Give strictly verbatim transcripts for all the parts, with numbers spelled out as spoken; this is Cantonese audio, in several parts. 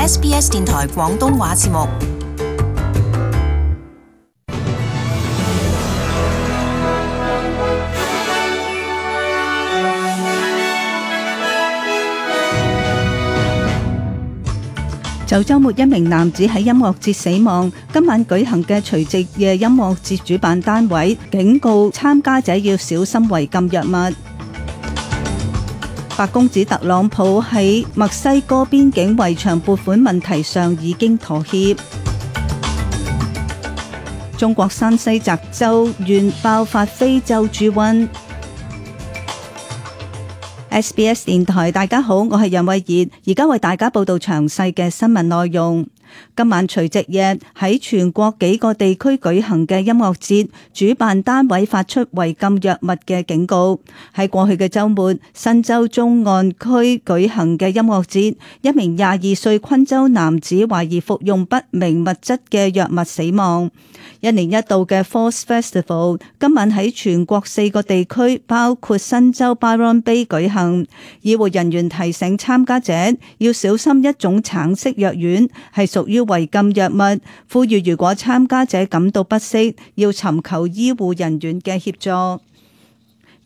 S B S 電台廣東話節目。就週末一名男子喺音樂節死亡，今晚舉行嘅除夕夜音樂節主辦單位警告參加者要小心違禁藥物。白宮指特朗普喺墨西哥邊境圍牆撥款問題上已經妥協。中國山西澤州縣爆發非洲豬瘟。S B S 電台，大家好，我係楊慧儀，而家為大家報道詳細嘅新聞內容。今晚除夕夜喺全國幾個地區舉行嘅音樂節，主辦單位發出違禁藥物嘅警告。喺過去嘅週末，新州中岸區舉行嘅音樂節，一名廿二歲昆州男子懷疑服用不明物質嘅藥物死亡。一年一度嘅 Falls Festival 今晚喺全國四個地區，包括新州 Byron Bay 舉行。醫護人員提醒參加者要小心一種橙色藥丸係屬於違禁藥物，呼籲如果參加者感到不適，要尋求醫護人員嘅協助。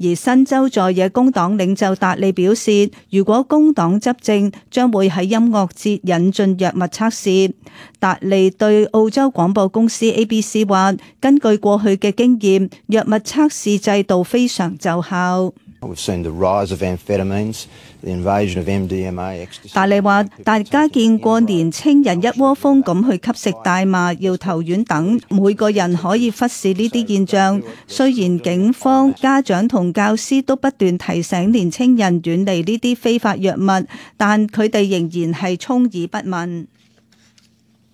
而新州在野工黨領袖達利表示，如果工黨執政，將會喺音樂節引進藥物測試。達利對澳洲廣播公司 A B C 話，根據過去嘅經驗，藥物測試制度非常奏效。達利話：大家見過年青人一窩蜂咁去吸食大麻、搖頭丸等，每個人可以忽視呢啲現象。雖然警方、家長同教師都不斷提醒年青人遠離呢啲非法藥物，但佢哋仍然係充耳不聞。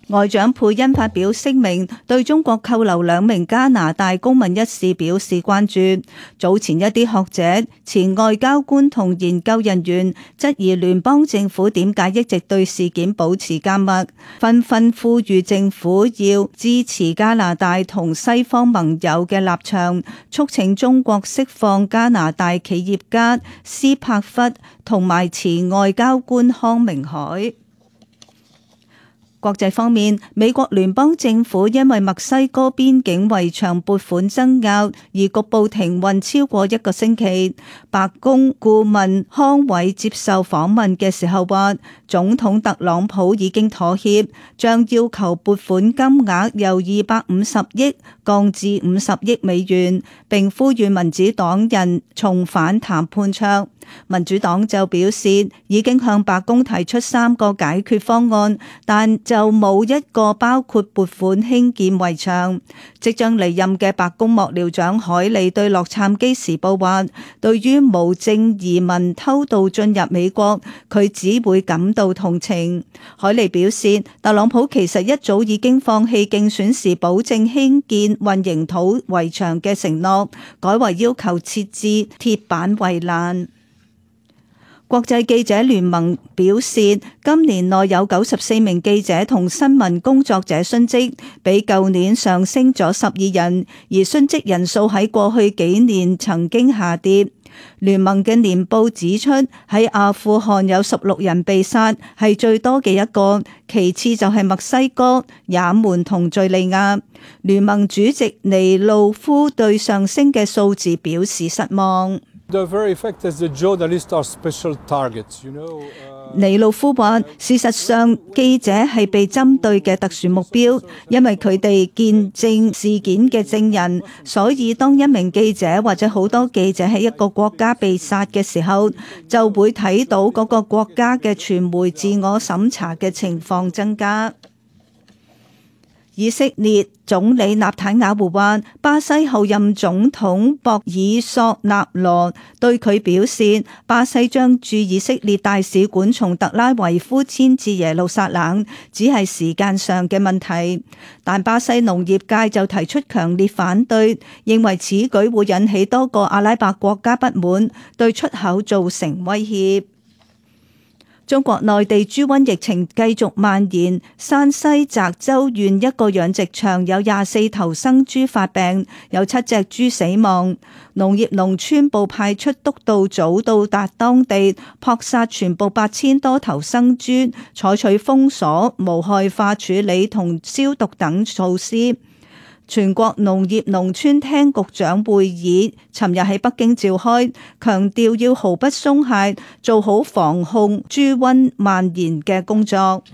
外長佩恩發表聲明，對中國扣留兩名加拿大公民一事表示關注。早前一啲學者、前外交官同研究人員質疑聯邦政府點解一直對事件保持緘默，紛紛呼籲政府要支持加拿大同西方盟友嘅立場，促請中國釋放加拿大企業家斯帕弗同埋前外交官康明凱。國際方面，美國聯邦政府因為墨西哥邊境圍牆撥款爭拗而局部停運超過一個星期。白宮顧問康偉接受訪問嘅時候話，總統特朗普已經妥協，將要求撥款金額由二百五十億降至五十億美元，並呼籲民主黨人重返談判桌。民主黨就表示已經向白宮提出三個解決方案，但就冇一個包括撥款興建圍牆。即將離任嘅白宮幕僚長海利對洛杉磯時報話，對於無證移民偷渡進入美國，佢只會感到同情。海利表示，特朗普其實一早已經放棄競選時保證興建混凝土圍牆嘅承諾，改為要求設置鐵板圍欄。國際記者聯盟表示，今年內有九十四名記者同新聞工作者殉職，比舊年上升咗十二人，而殉職人數喺過去幾年曾經下跌。聯盟嘅年報指出，喺阿富汗有十六人被殺，係最多嘅一個，其次就係墨西哥、也門同敘利亞。聯盟主席尼路夫對上升嘅數字表示失望。尼路夫話：事實上，記者係被針對嘅特殊目標，因為佢哋見證事件嘅證人，所以當一名記者或者好多記者喺一個國家被殺嘅時候，就會睇到嗰個國家嘅傳媒自我審查嘅情況增加。以色列總理納坦雅胡話，巴西後任總統博爾索納羅對佢表示，巴西將駐以色列大使館從特拉維夫遷至耶路撒冷，只係時間上嘅問題。但巴西農業界就提出強烈反對，認為此舉會引起多個阿拉伯國家不滿，對出口造成威脅。中國內地豬瘟疫情繼續蔓延，山西澤州縣一個養殖場有廿四頭生豬發病，有七隻豬死亡。農業農村部派出督導組到達當地，撲殺全部八千多頭生豬，採取封鎖、無害化處理同消毒等措施。全國農業農村廳局長會議尋日喺北京召開，強調要毫不鬆懈，做好防控豬瘟蔓延嘅工作。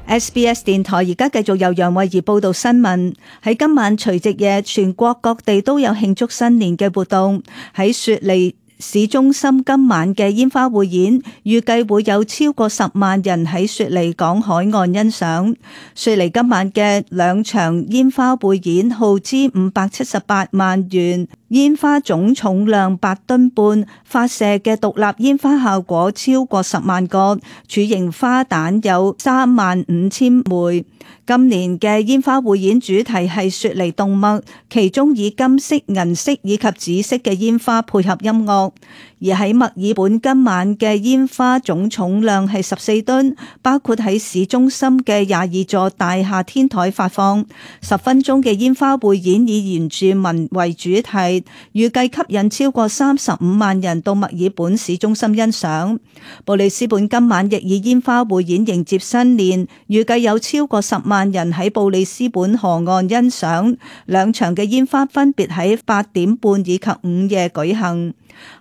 S B S 電台而家繼續由楊慧儀報道新聞。喺今晚除夕夜，全國各地都有慶祝新年嘅活動。喺雪梨市中心今晚嘅煙花匯演，預計會有超過十萬人喺雪梨港海岸欣賞。雪梨今晚嘅兩場煙花匯演耗資五百七十八萬元，煙花總重量八噸半，發射嘅獨立煙花效果超過十萬個，柱形花彈有三萬五千枚。今年嘅煙花匯演主題係雪梨動脈，其中以金色、銀色以及紫色嘅煙花配合音樂。而喺墨爾本今晚嘅煙花總重量係十四噸，包括喺市中心嘅廿二座大廈天台發放。十分鐘嘅煙花匯演以原住民為主題，預計吸引超過三十五萬人到墨爾本市中心欣賞。布里斯本今晚亦以煙花匯演迎接新年，預計有超過十萬人喺布里斯本河岸欣賞。兩場嘅煙花分別喺八點半以及午夜舉行。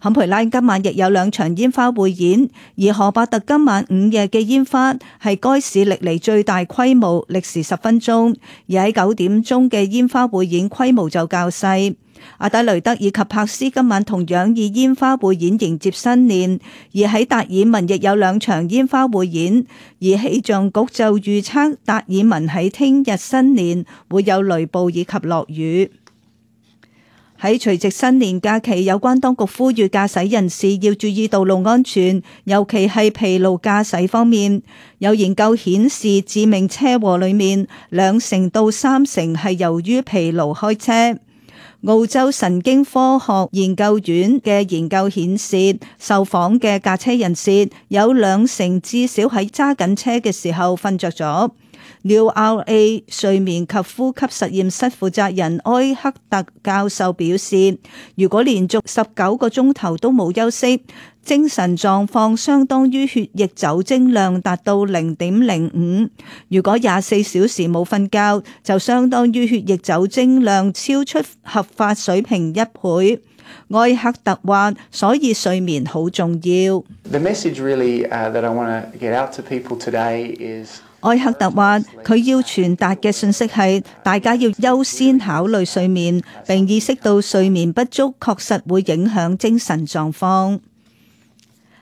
坎培拉今晚亦有兩場煙花匯演，而荷伯特今晚午夜嘅煙花係該市歷嚟最大規模，歷時十分鐘，而喺九點鐘嘅煙花匯演規模就較細。阿德雷德以及柏斯今晚同樣以煙花匯演迎接新年，而喺達爾文亦有兩場煙花匯演，而氣象局就預測達爾文喺聽日新年會有雷暴以及落雨。喺除夕新年假期，有關當局呼籲駕駛人士要注意道路安全，尤其係疲勞駕駛方面。有研究顯示，致命車禍裏面兩成到三成係由於疲勞開車。澳洲神經科學研究院嘅研究顯示，受訪嘅駕車人士有兩成至少喺揸緊車嘅時候瞓着咗。New R A 睡眠及呼吸實驗室負責人埃克特教授表示，如果連續十九個鐘頭都冇休息，精神狀況相當於血液酒精量達到零點零五；如果廿四小時冇瞓覺，就相當於血液酒精量超出合法水平一倍。埃克特話，所以睡眠好重要。The message really, uh, that I want to get out to people today is埃克特話，佢要傳達嘅信息係，大家要優先考慮睡眠，並意識到睡眠不足確實會影響精神狀況。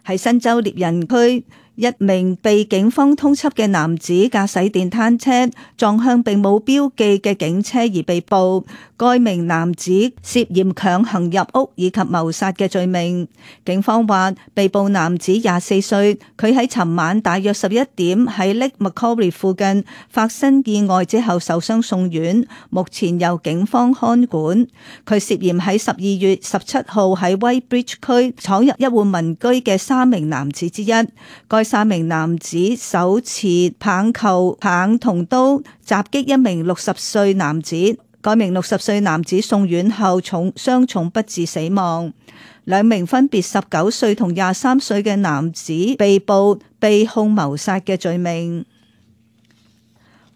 喺新州獵人區，一名被警方通緝嘅男子駕駛電單車撞向並冇標記嘅警車而被捕。該名男子涉嫌強行入屋以及謀殺嘅罪名。警方話，被捕男子廿四歲，佢喺尋晚大約十一點喺 Lake Macquarie 附近發生意外之後受傷送院，目前由警方看管。佢涉嫌喺十二月十七號喺 Whitebridge 區闖入一戶民居嘅三名男子之一。該三名男子手持棒球棒同刀襲擊一名六十歲男子。該名六十歲男子送院後重傷重不治死亡。兩名分別十九歲同廿三歲嘅男子被捕，被控謀殺嘅罪名。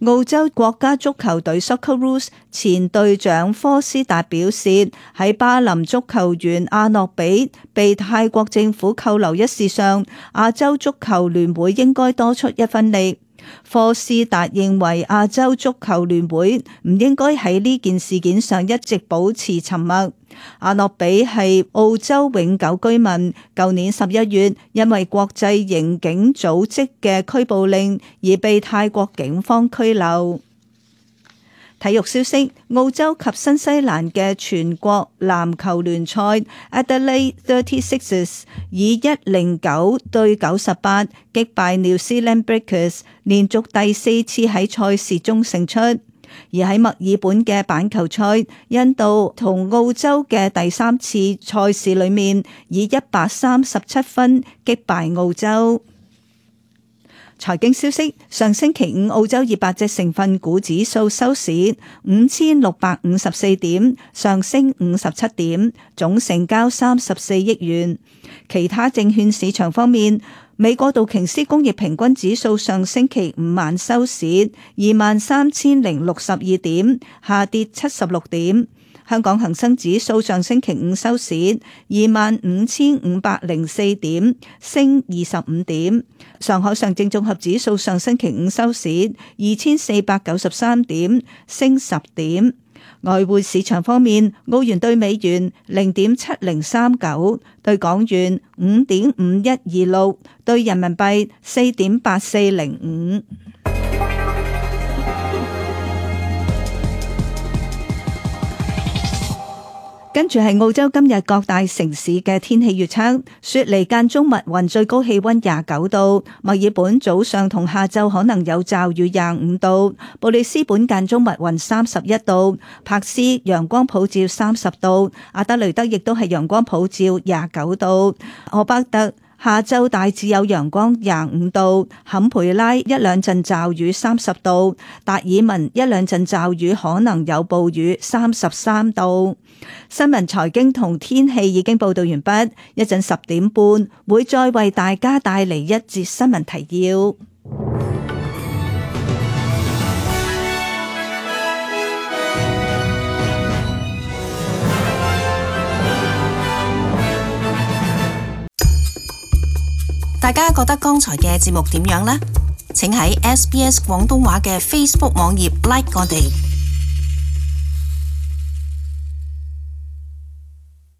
澳洲國家足球隊 Socceroos 前隊長科斯達表示，喺巴林足球員阿諾比被泰國政府扣留一事上，亞洲足球聯會應該多出一分力。科斯達認為亞洲足球聯會唔應該喺呢件事件上一直保持沉默。阿諾比係澳洲永久居民，舊年十一月因為國際刑警組織嘅拘捕令而被泰國警方拘留。體育消息，澳洲及新西蘭嘅全國籃球聯賽 Adelaide thirty-sixers 以一零九對九十八擊敗 New Zealand Breakers，連續第四次喺賽事中勝出。而喺墨爾本嘅板球賽，印度同澳洲嘅第三次賽事裏面，以一百三十七分擊敗澳洲。財經消息：上星期五澳洲二百隻成分股指數收市五千六百五十四點，上升五十七點，總成交三十四億元。其他證券市場方面，美國道瓊斯工業平均指數上星期五晚收市二萬三千零六十二點，下跌七十六點。香港恒生指數上星期五收市二萬五千五百零四點，升二十五點。上海上證綜合指數上星期五收市二千四百九十三點，升十點。外匯市場方面，澳元兌美元零點七零三九，兌港元五點五一二六，兌人民幣四點八四零五。跟住係澳洲今日各大城市嘅天氣預測：雪梨間中密雲，最高氣溫廿九度；墨爾本早上同下晝可能有驟雨，廿五度；布里斯本間中密雲，三十一度；柏斯陽光普照，三十度；阿德雷德亦都係陽光普照，廿九度；荷伯特下晝大致有陽光，廿五度；坎培拉一兩陣驟雨，三十度；達爾文一兩陣驟雨，可能有暴雨，三十三度。新聞財經同天氣已經報道完畢，一陣十點半會再為大家帶嚟一節新聞提要。大家覺得剛才嘅節目點樣呢？請喺 S B S 廣東話嘅 Facebook 網頁 like 我哋。